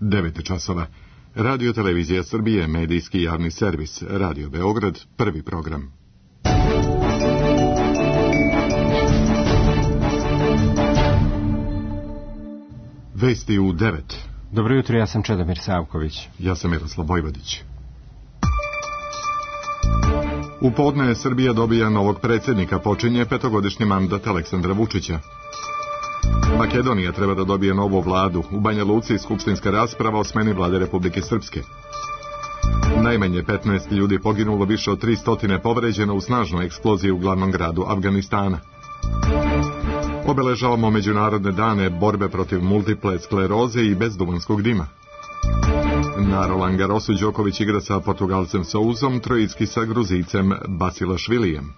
9 časova. Radio Televizija Srbije, medijski javni servis, Radio Beograd, prvi program. Vesti u 9. Dobro jutro, ja sam Čedomir Savković. Ja sam Miroslav Vojvodić. U podne Srbija dobija novog predsjednika, počinje 5-godišnji mandat Aleksandra Vučića. Makedonija treba da dobije novu vladu. U Banja Luci skupštinska rasprava o smeni vlade Republike Srpske. Najmanje 15 ljudi poginulo, više od 300 povređeno u snažnoj eksploziji u glavnom gradu Afganistana. Obeležavamo međunarodne dane borbe protiv multiple skleroze i bezduvanskog dima. Na Roland Garrosu Đoković igra sa Portugalcem Souzom, Trojicki sa Gruzicem Basilašvilijem.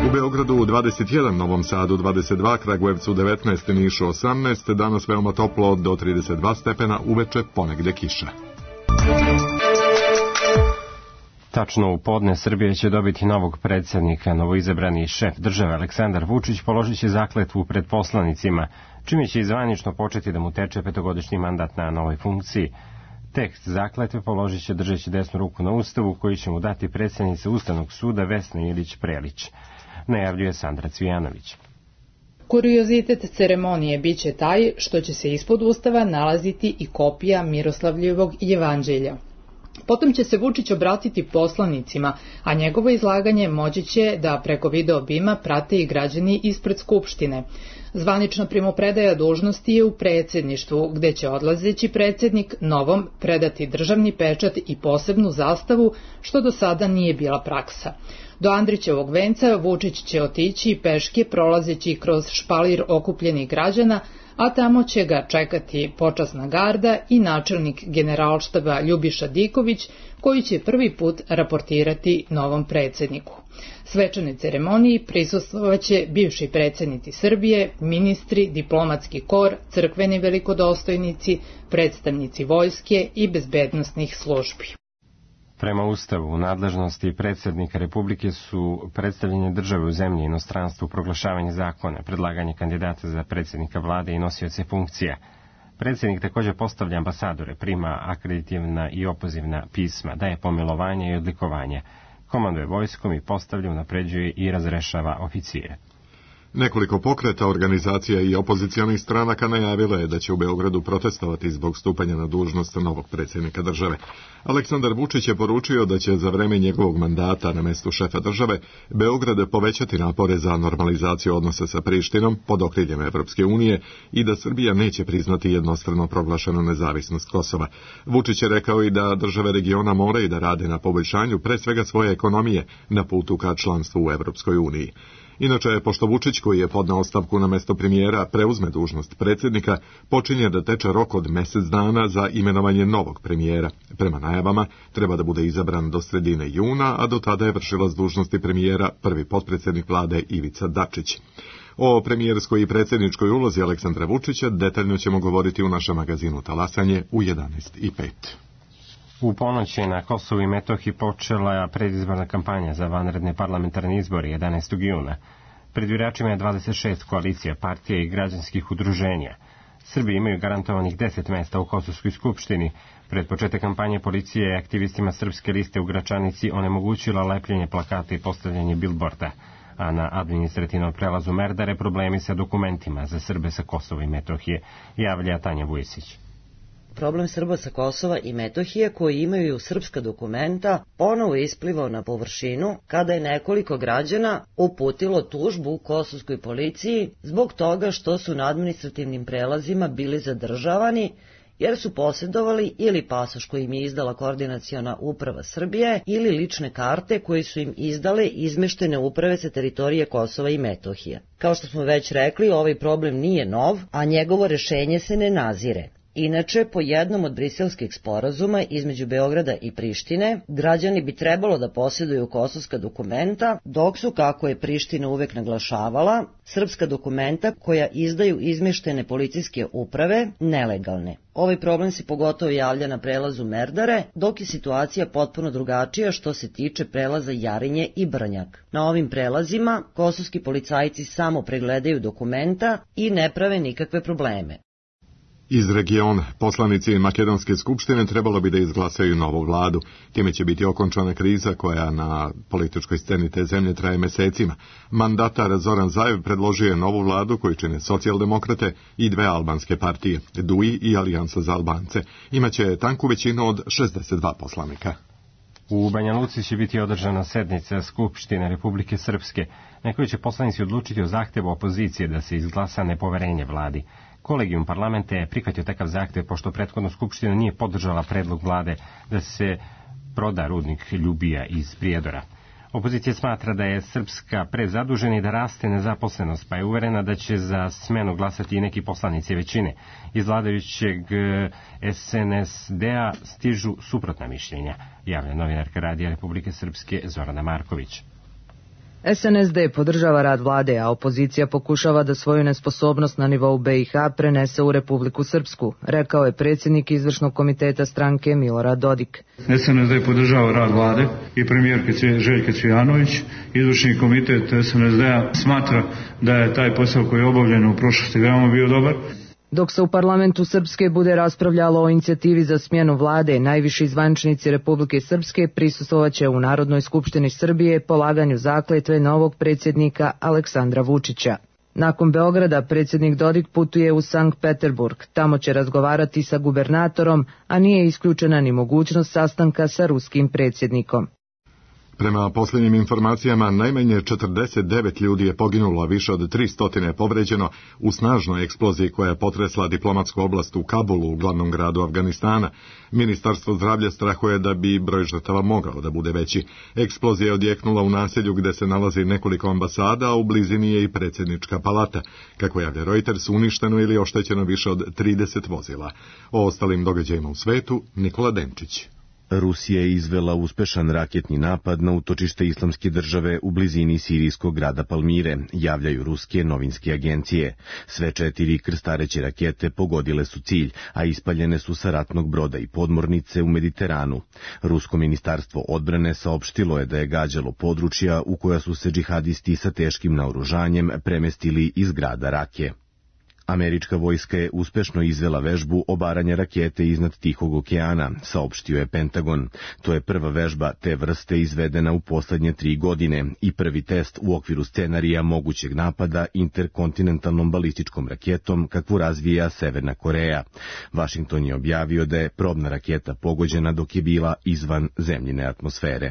U Beogradu 21, Novom Sadu 22, Kragujevcu 19, Nišu 18, danas veoma toplo do 32 stepena, uveče ponegde kiša. Tačno u podne Srbija će dobiti novog predsjednika. Novoizabrani šef države Aleksandar Vučić položit će zakletvu pred poslanicima, čime će zvanično početi da mu teče 5-godišnji mandat na novoj funkciji. Tekst zakletve položit će držeći desnu ruku na Ustavu, koji će mu dati predsjednica Ustavnog suda Vesna Ilić-Prelić, najavljuje Sandra Cvijanović. Kuriozitet ceremonije biće taj što će se ispod Ustava nalaziti i kopija Miroslavljevog jevanđelja. Potom će se Vučić obratiti poslanicima, a njegovo izlaganje moći će da preko video bima prate i građani ispred Skupštine. Zvanična primopredaja dužnosti je u predsjedništvu, gde će odlazeći predsjednik novom predati državni pečat i posebnu zastavu, što do sada nije bila praksa. Do Andrićevog venca Vučić će otići peške prolazeći kroz špalir okupljenih građana, a tamo će ga čekati počasna garda i načelnik Generalštaba Ljubiša Diković, koji će prvi put raportirati novom predsjedniku. Svečanoj ceremoniji prisustvovaće bivši predsjednici Srbije, ministri, diplomatski kor, crkveni velikodostojnici, predstavnici vojske i bezbednosnih službi. Prema Ustavu, u nadležnosti predsjednika Republike su predstavljanje države u zemlji i inostranstvu, proglašavanje zakona, predlaganje kandidata za predsjednika vlade i nosioce funkcija. Predsjednik također postavlja ambasadore, prima akreditivna i opozivna pisma, daje pomilovanja i odlikovanja, komanduje vojskom i postavlja, unapređuje i razrešava oficire. Nekoliko pokreta, organizacija i opozicionih stranaka najavilo je da će u Beogradu protestovati zbog stupanja na dužnost novog predsjednika države. Aleksandar Vučić je poručio da će za vreme njegovog mandata na mestu šefa države Beograd povećati napore za normalizaciju odnosa sa Prištinom pod okriljem Evropske unije i da Srbija neće priznati jednostrano proglašenu nezavisnost Kosova. Vučić je rekao i da države regiona moraju da rade na poboljšanju pre svega svoje ekonomije na putu ka članstvu u Evropskoj uniji. Inače, pošto Vučić, koji je podneo ostavku na mesto premijera, preuzme dužnost predsjednika, počinje da teče rok od mjesec dana za imenovanje novog premijera. Prema najavama, treba da bude izabran do sredine juna, a do tada je vršilac dužnosti premijera prvi potpredsjednik vlade Ivica Dačić. O premijerskoj i predsjedničkoj ulozi Aleksandra Vučića detaljno ćemo govoriti u našem magazinu Talasanje u 11:05. U ponoć je na Kosovu i Metohiji počela predizborna kampanja za vanredne parlamentarne izbore 11. juna. Pred biračima je 26 koalicija, partija i građanskih udruženja. Srbi imaju garantovanih 10 mesta u Kosovskoj skupštini. Pred početak kampanje policija je aktivistima Srpske liste u Gračanici onemogućila lepljenje plakata i postavljanje bilborda, a na administrativnom prelazu Merdare problemi sa dokumentima za Srbe sa Kosova i Metohije, javlja Tanja Vujesić. Problem Srba sa Kosova i Metohije koji imaju srpska dokumenta ponovo isplivao na površinu kada je nekoliko građana uputilo tužbu kosovskoj policiji zbog toga što su na administrativnim prelazima bili zadržavani jer su posjedovali ili pasoš koji im je izdala Koordinaciona uprava Srbije ili lične karte koje su im izdale izmeštene uprave sa teritorije Kosova i Metohije. Kao što smo već rekli, ovaj problem nije nov, a njegovo rešenje se ne nazire. Inače, po jednom od briselskih sporazuma između Beograda i Prištine, građani bi trebalo da posjeduju kosovska dokumenta, dok su, kako je Priština uvek naglašavala, srpska dokumenta koja izdaju izmeštene policijske uprave nelegalne. Ovaj problem se pogotovo javlja na prelazu Merdare, dok je situacija potpuno drugačija što se tiče prelaza Jarinje i Brnjak. Na ovim prelazima kosovski policajci samo pregledaju dokumenta i ne prave nikakve probleme. Iz regiona, poslanici Makedonske skupštine trebalo bi da izglasaju novu vladu. Time će biti okončana kriza koja na političkoj sceni te zemlje traje mesecima. Mandatar Zoran Zaev predložio je novu vladu koju čine socijaldemokrate i dve albanske partije, DUI i Alijansa za Albance. Imaće tanku većinu od 62 poslanika. U Banja Luci će biti održana sednica Skupštine Republike Srpske, na kojoj će poslanici odlučiti o zahtevu opozicije da se izglasa nepoverenje vladi. Kolegijum parlamenta je prihvatio takav zahtev pošto prethodno Skupština nije podržala predlog vlade da se proda rudnik Ljubija iz Prijedora. Opozicija smatra da je Srpska prezadužena i da raste nezaposlenost, pa je uverena da će za smenu glasati i neki poslanici većine. Iz vladajućeg SNSD-a stižu suprotna mišljenja, javlja novinarka Radija Republike Srpske Zorana Marković. SNSD podržava rad vlade, a opozicija pokušava da svoju nesposobnost na nivou BiH prenese u Republiku Srpsku, rekao je predsjednik izvršnog komiteta stranke Milorad Dodik. SNSD podržava rad vlade i premijerke Željka Cvijanović. Izvršni komitet SNSD-a smatra da je taj posao koji je obavljen u prošlosti veoma bio dobar. Dok se u parlamentu Srpske bude raspravljalo o inicijativi za smjenu vlade, najviši zvaničnici Republike Srpske prisustvovaće u Narodnoj skupštini Srbije polaganju zakletve novog predsjednika Aleksandra Vučića. Nakon Beograda predsjednik Dodik putuje u Sankt Peterburg, tamo će razgovarati sa gubernatorom, a nije isključena ni mogućnost sastanka sa ruskim predsjednikom. Prema posljednjim informacijama, najmanje 49 ljudi je poginulo, a više od 300 je povređeno u snažnoj eksploziji koja je potresla diplomatsku oblast u Kabulu, u glavnom gradu Afganistana. Ministarstvo zdravlja strahuje da bi broj žrtava mogao da bude veći. Eksplozija je odjeknula u naselju gde se nalazi nekoliko ambasada, a u blizini je i predsjednička palata. Kako javlja Reuters, uništeno ili oštećeno više od 30 vozila. O ostalim događajima u svetu, Nikola Denčić. Rusija je izvela uspešan raketni napad na utočište Islamske države u blizini sirijskog grada Palmire, javljaju ruske novinske agencije. Sve 4 krstareće rakete pogodile su cilj, a ispaljene su sa ratnog broda i podmornice u Mediteranu. Rusko ministarstvo odbrane saopštilo je da je gađalo područja u koja su se džihadisti sa teškim naoružanjem premestili iz grada Rake. Američka vojska je uspešno izvela vežbu obaranja rakete iznad Tihog okeana, saopštio je Pentagon. To je prva vežba te vrste izvedena u poslednje 3 godine i prvi test u okviru scenarija mogućeg napada interkontinentalnom balističkom raketom kakvu razvija Severna Koreja. Vašington je objavio da je probna raketa pogođena dok je bila izvan zemljine atmosfere.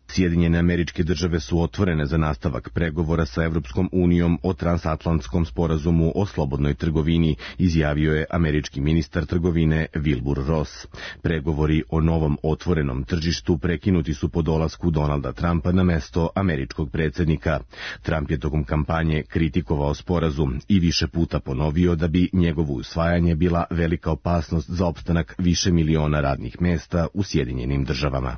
Sjedinjene Američke Države su otvorene za nastavak pregovora sa Evropskom unijom o transatlantskom sporazumu o slobodnoj trgovini, izjavio je američki ministar trgovine Wilbur Ross. Pregovori o novom otvorenom tržištu prekinuti su po dolasku Donalda Trumpa na mesto američkog predsjednika. Trump je tokom kampanje kritikovao sporazum i više puta ponovio da bi njegovo usvajanje bila velika opasnost za opstanak više miliona radnih mesta u Sjedinjenim Državama.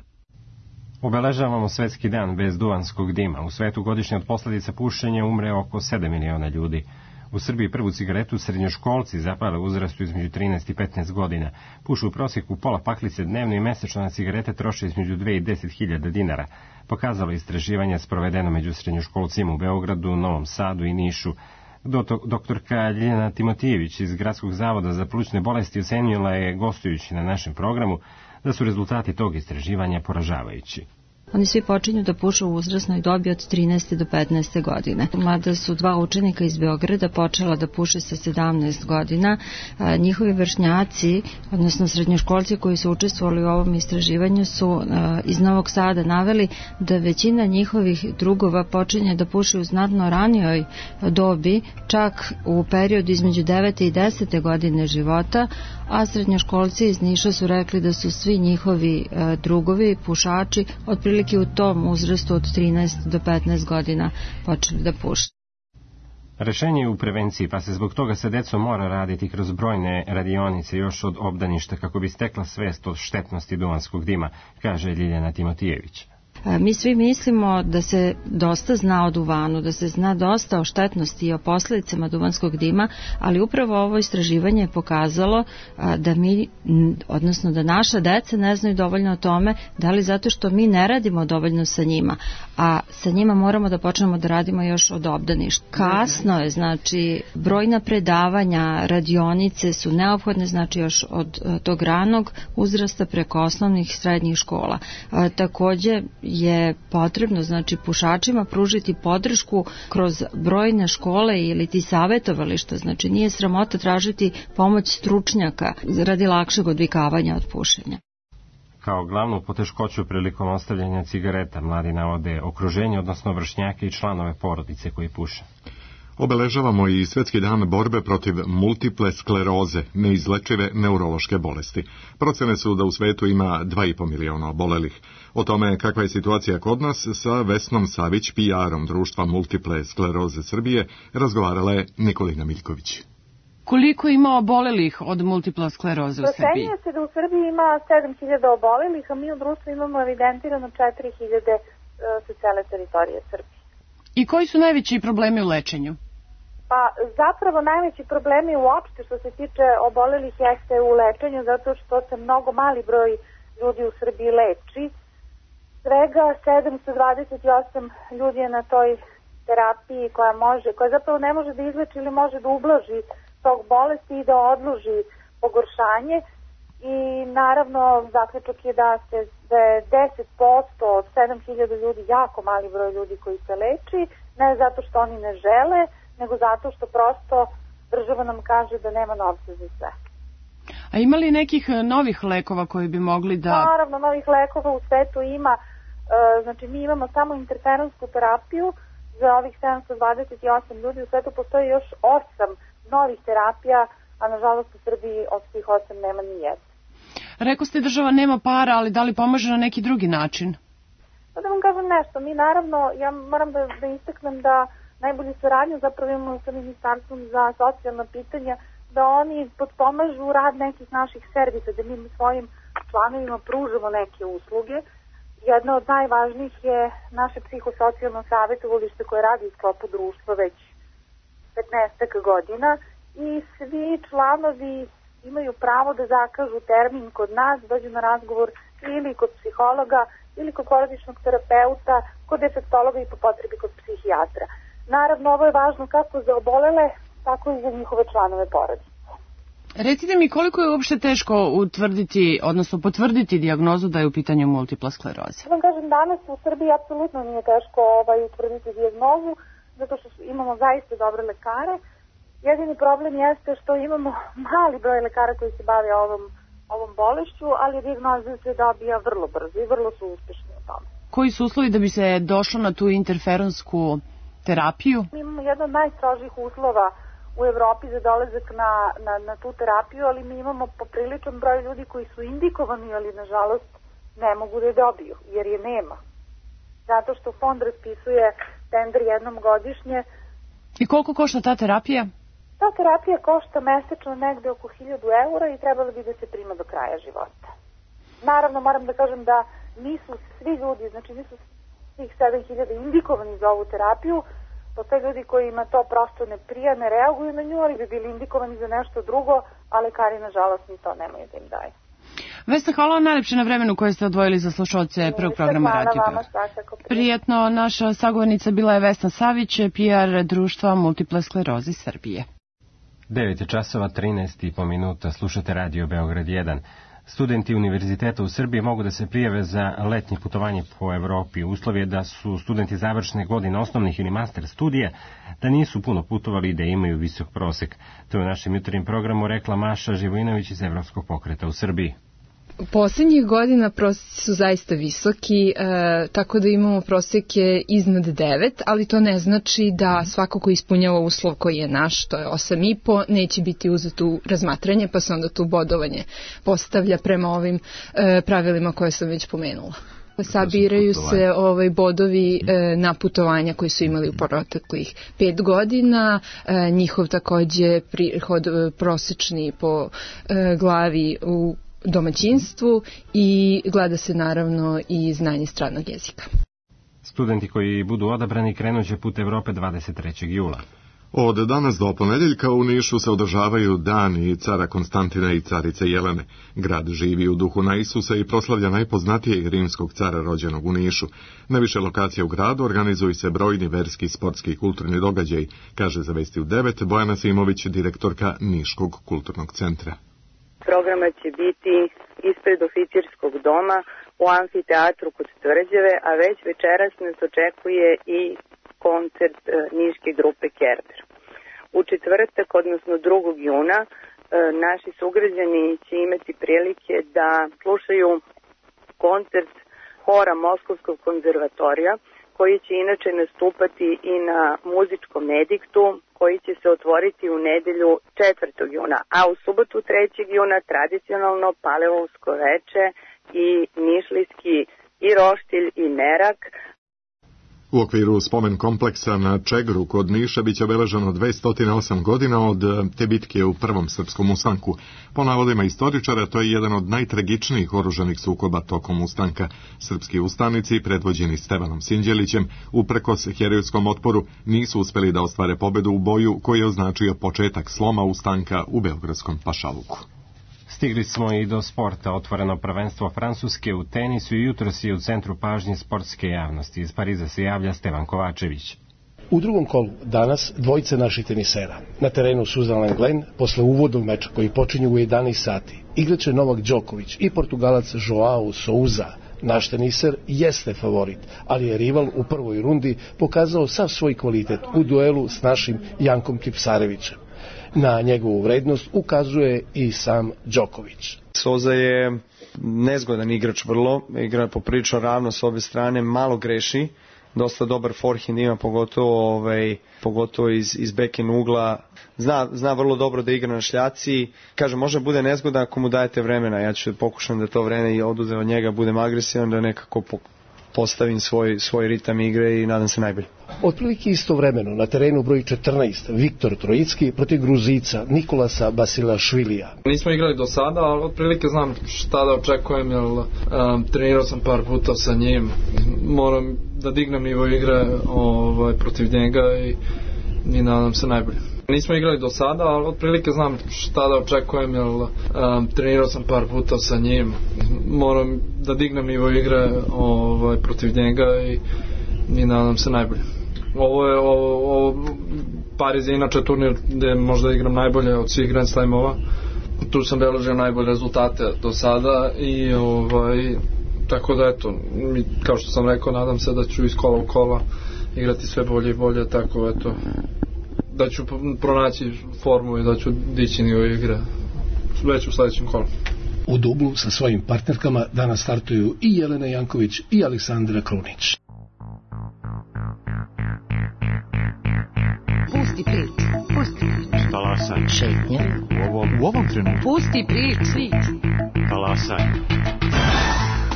Obeležavamo Svetski dan bez duvanskog dima. U svetu godišnje od posljedica pušenja umre oko 7 miliona ljudi. U Srbiji prvu cigaretu srednjoškolci zapale u uzrastu između 13 i 15 godina. Pušu u prosjeku pola paklice dnevno i mesečno na cigarete troše između 2 i 10 hiljada dinara. Pokazalo istraživanje sprovedeno među srednjoškolcima u Beogradu, Novom Sadu i Nišu. Doktorka Ljiljana Timotijević iz Gradskog zavoda za plućne bolesti ocenila je, gostujući na našem programu, da su rezultati tog istraživanja poražavajući. Oni svi počinju da puše u uzrasnoj dobi od 13. do 15. godine. Mada su 2 učenika iz Beograda počela da puše sa 17 godina, njihovi vršnjaci, odnosno srednjoškolci koji su učestvovali u ovom istraživanju su iz Novog Sada naveli da većina njihovih drugova počinje da puše u znatno ranijoj dobi, čak u periodu između 9. i 10. godine života, a srednjoškolci iz Niša su rekli da su svi njihovi drugovi, pušači, otprilike u tom uzrastu od 13 do 15 godina počeli da puše. Rešenje je u prevenciji, pa se zbog toga sa decom mora raditi kroz brojne radionice još od obdaništa kako bi stekla svest o štetnosti duvanskog dima, kaže Ljiljana Timotijević. Mi svi mislimo da se dosta zna o duvanu, da se zna dosta o štetnosti i o posledicama duvanskog dima, ali upravo ovo istraživanje je pokazalo da mi, odnosno da naša deca ne znaju dovoljno o tome, da li zato što mi ne radimo dovoljno sa njima, a sa njima moramo da počnemo da radimo još od obdaništa. Kasno je, znači brojna predavanja, radionice su neophodne, znači još od tog ranog uzrasta preko osnovnih i srednjih škola. Takođe je potrebno, znači, pušačima pružiti podršku kroz brojne škole ili ti savetovališta, znači nije sramota tražiti pomoć stručnjaka radi lakšeg odvikavanja od pušenja. Kao glavnu poteškoću prilikom ostavljanja cigareta mladi navode okruženje, odnosno vršnjake i članove porodice koji puše. Obeležavamo i Svjetski dan borbe protiv multiple skleroze, neizlečive neurološke bolesti. Procene su da u svetu ima 2,5 miliona obolelih. O tome kakva je situacija kod nas sa Vesnom Savić, PR-om društva Multiple skleroze Srbije, razgovarala je Nikolina Miljković. Koliko ima obolelih od multipla skleroze u Srbiji? Procenjuje se da u Srbiji ima 7.000 obolelih, a mi u društvu imamo evidentirano 4.000 sa cele teritorije Srbije. I koji su najveći problemi u lečenju? Pa zapravo najveći problemi uopšte što se tiče obolelih jeste u lečenju, zato što se mnogo mali broj ljudi u Srbiji leči. Svega 728 ljudi je na toj terapiji koja zapravo ne može da izleči ili može da ublaži tog bolesti i da odloži pogoršanje. I naravno zaključak je da je 10% od 7.000 ljudi jako mali broj ljudi koji se leči, ne zato što oni ne žele, nego zato što prosto država nam kaže da nema novca za sve. A ima li nekih novih lekova koji bi mogli da... Naravno, novih lekova u svetu ima. Znači, mi imamo samo interferonsku terapiju za ovih 728 ljudi. U svetu postoji još 8 novih terapija, a nažalost u Srbiji od tih 8 nema ni jedna. Rekao ste država nema para, ali da li pomaže na neki drugi način? Da vam kažem nešto. Mi naravno, ja moram da istaknem da najbolju saradnju zapravo imamo sa Ministarstvom za socijalna pitanja, da oni potpomažu rad nekih naših servisa, da mi svojim članovima pružamo neke usluge. Jedna od najvažnijih je naše psihosocijalno savjetovalište koje radi u sklopu društva već 15 godina i svi članovi imaju pravo da zakažu termin kod nas, dođu na razgovor ili kod psihologa, ili kod porodičnog terapeuta, kod defektologa i po potrebi kod psihijatra. Naravno, ovo je važno kako za obolele, tako i za njihove članove porodice. Recite mi koliko je uopšte teško utvrditi, odnosno potvrditi dijagnozu da je u pitanju multipla skleroza? Da vam kažem, danas u Srbiji apsolutno nije teško utvrditi dijagnozu, zato što imamo zaista dobre lekare. Jedini problem jeste što imamo mali broj lekara koji se bave ovom bolešću, ali dijagnoza se dobija vrlo brzo i vrlo su uspešni u tome. Koji su uslovi da bi se došlo na tu interferonsku terapiju? Mi imamo jedan od najstrožih uslova u Evropi za dolazak na tu terapiju, ali mi imamo popriličan broj ljudi koji su indikovani, ali nažalost ne mogu da je dobiju, jer je nema. Zato što fond raspisuje tender jednom godišnje. I koliko košta ta terapija? Ta terapija košta mesečno negde oko 1.000 eura i trebalo bi da se prima do kraja života. Naravno, moram da kažem da nisu svi ljudi, znači nisu svih 7.000 indikovani za ovu terapiju. Postoje ljudi kojima to prosto ne prija, ne reaguju na nju, ali bi bili indikovani za nešto drugo, a lekari nažalost ni to nemaju da im daju. Vesna, hvala vam najlepše na vremenu koje ste odvojili za slušalce prvog programa Radio Beograd. Prijetno, naša sagovornica bila je Vesna Savić, PR društva Multiple skleroze Srbije. 9 časova 13,5 minuta, slušate Radio Beograd 1. Studenti univerziteta u Srbiji mogu da se prijave za letnje putovanje po Evropi. Uslov je da su studenti završne godine osnovnih ili master studija, da nisu puno putovali i da imaju visok prosek. To je u našem jutarnjem programu rekla Maša Živojinović iz Evropskog pokreta u Srbiji. Poslednjih godina prosjeci su zaista visoki, tako da imamo proseke iznad 9, ali to ne znači da svako ko ispunjava uslov koji je naš, to je 8,5, neće biti uzet u razmatranje, pa se onda tu bodovanje postavlja prema ovim pravilima koje sam već pomenula. Sabiraju se bodovi na putovanja koji su imali u proteklih 5 godina, njihov takođe prihod prosečni po glavi u domaćinstvu i gleda se naravno i znanje stranog jezika. Studenti koji budu odabrani krenuće put Evrope 23. jula. Od danas do ponedjeljka u Nišu se održavaju dani cara Konstantina i carice Jelene. Grad živi u duhu na Isusa i proslavlja najpoznatijeg rimskog cara rođenog u Nišu. Na više lokacija u gradu organizuju se brojni verski, sportski i kulturni događaji, kaže za Vesti u 9 Bojana Simović, direktorka Niškog kulturnog centra. Programa će biti ispred oficirskog doma u amfiteatru kod Tvrđave, a već večeras nas očekuje i koncert niške grupe Kerber. U četvrtak, odnosno 2. juna, naši sugrađani će imati prilike da slušaju koncert hora Moskovskog konzervatorija, koji će inače nastupati i na muzičkom ediktu, koji će se otvoriti u nedelju 4. juna, a u subotu 3. juna tradicionalno Palevovsko veče i nišlijski i roštilj i merak. U okviru spomen kompleksa na Čegru kod Niša biće obeleženo 208 godina od te bitke u Prvom srpskom ustanku. Po navodima istoričara, to je jedan od najtragičnijih oružanih sukoba tokom ustanka. Srpski ustanici, predvođeni Stevanom Sinđelićem, uprkos herojskom otporu, nisu uspeli da ostvare pobedu u boju koji je označio početak sloma ustanka u beogradskom pašaluku. Stigli smo i do sporta. Otvoreno prvenstvo Francuske u tenisu i jutros je u centru pažnje sportske javnosti. Iz Pariza se javlja Stevan Kovačević. U drugom kolu danas dvojice naših tenisera. Na terenu Suzanne Glen, posle uvodnog meča koji počinje u 11 sati, igraće Novak Đoković i Portugalac Joao Souza. Naš teniser jeste favorit, ali je rival u prvoj rundi pokazao sav svoj kvalitet u duelu s našim Jankom Kipsarevićem. Na njegovu vrednost ukazuje i sam Đoković. Souza je nezgodan igrač vrlo, igra poprilično ravno s obje strane, malo greši, dosta dobar forehand ima, pogotovo iz backhand ugla. Zna vrlo dobro da igra na šljaci. Kaže, može bude nezgodan ako mu dajete vremena. Ja ću pokušam da to vreme i oduzem od njega, budem agresivan, da nekako postavim svoj ritam igre i nadam se najbolje. Otprilike istovremeno na terenu broj 14 Viktor Trojicki protiv Gruzica Nikolasa Basilašvilija. Nismo igrali do sada, ali otprilike znam šta da očekujem, jer trenirao sam par puta sa njim. Moram da dignem nivo igre protiv njega i nadam se najbolje. Nismo igrali do sada, ali otprilike znam šta da očekujem, jer trenirao sam par puta sa njim. Moram da dignem nivo igre protiv njega i nadam se najbolje. Pariz je inače turnir gde možda igram najbolje od svih Grand Slamova. Tu sam beležio najbolje rezultate do sada i tako da eto, kao što sam rekao, nadam se da ću iz kola u kola igrati sve bolje i bolje, tako eto, da ću pronaći formu i da ću dići nivo igre već u sledećem kolu. U dublu sa svojim partnerkama danas startuju i Jelena Janković i Aleksandra Krunić. Pusti priču. Talasaj. Šetnja. U ovom trenutku. Pusti priču. Talasaj.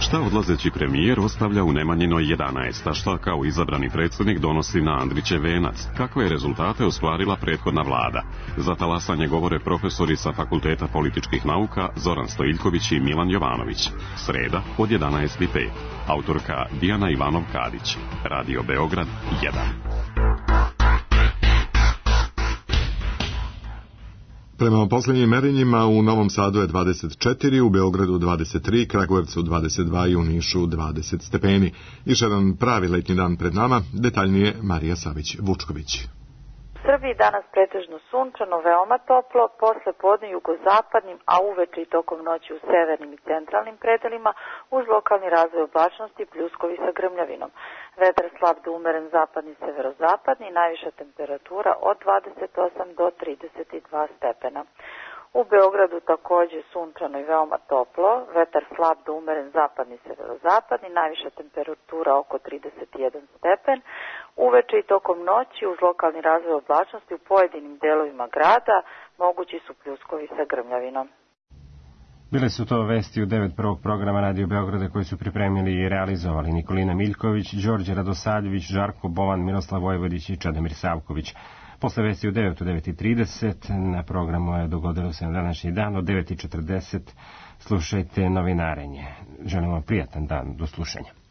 Šta odlazeći premijer ostavlja u Nemanjinoj 11, a šta kao izabrani predsjednik donosi na Andrićev venac? Kakve je rezultate ostvarila prethodna vlada? Za talasanje govore profesori sa Fakulteta političkih nauka Zoran Stojiljković i Milan Jovanović. Sreda od 11:05. Autorka Dijana Ivanov-Kadić. Radio Beograd 1. Prema posljednjim merenjima u Novom Sadu je 24, u Beogradu 23, Kragujevcu 22 i u Nišu 20 stepeni. Još jedan pravi letnji dan pred nama, detaljnije Marija Savić-Vučković. U Srbiji danas pretežno sunčano, veoma toplo, posle podne jugozapadnim, a uveče i tokom noći u severnim i centralnim predelima, uz lokalni razvoj oblačnosti, pljuskovi sa grmljavinom. Vetar slab do umeren zapadni, severozapadni, najviša temperatura od 28 do 32 stepena. U Beogradu takođe sunčano i veoma toplo, vetar slab do umeren zapadni, severozapadni, najviša temperatura oko 31 stepen. Uveče i tokom noći uz lokalni razvoj oblačnosti u pojedinim delovima grada mogući su pljuskovi sa grmljavinom. Bile su to vesti u 9 prvog programa Radio Beograda koji su pripremili i realizovali Nikolina Miljković, Đorđe Radosavljević, Žarko Bovan, Miroslav Vojvodić i Čedomir Savković. Posle vesti u 9:30 na programu je dogodilo se na današnji dan od 9:40 slušajte novinarenje. Želim vam prijatan dan, do slušanja.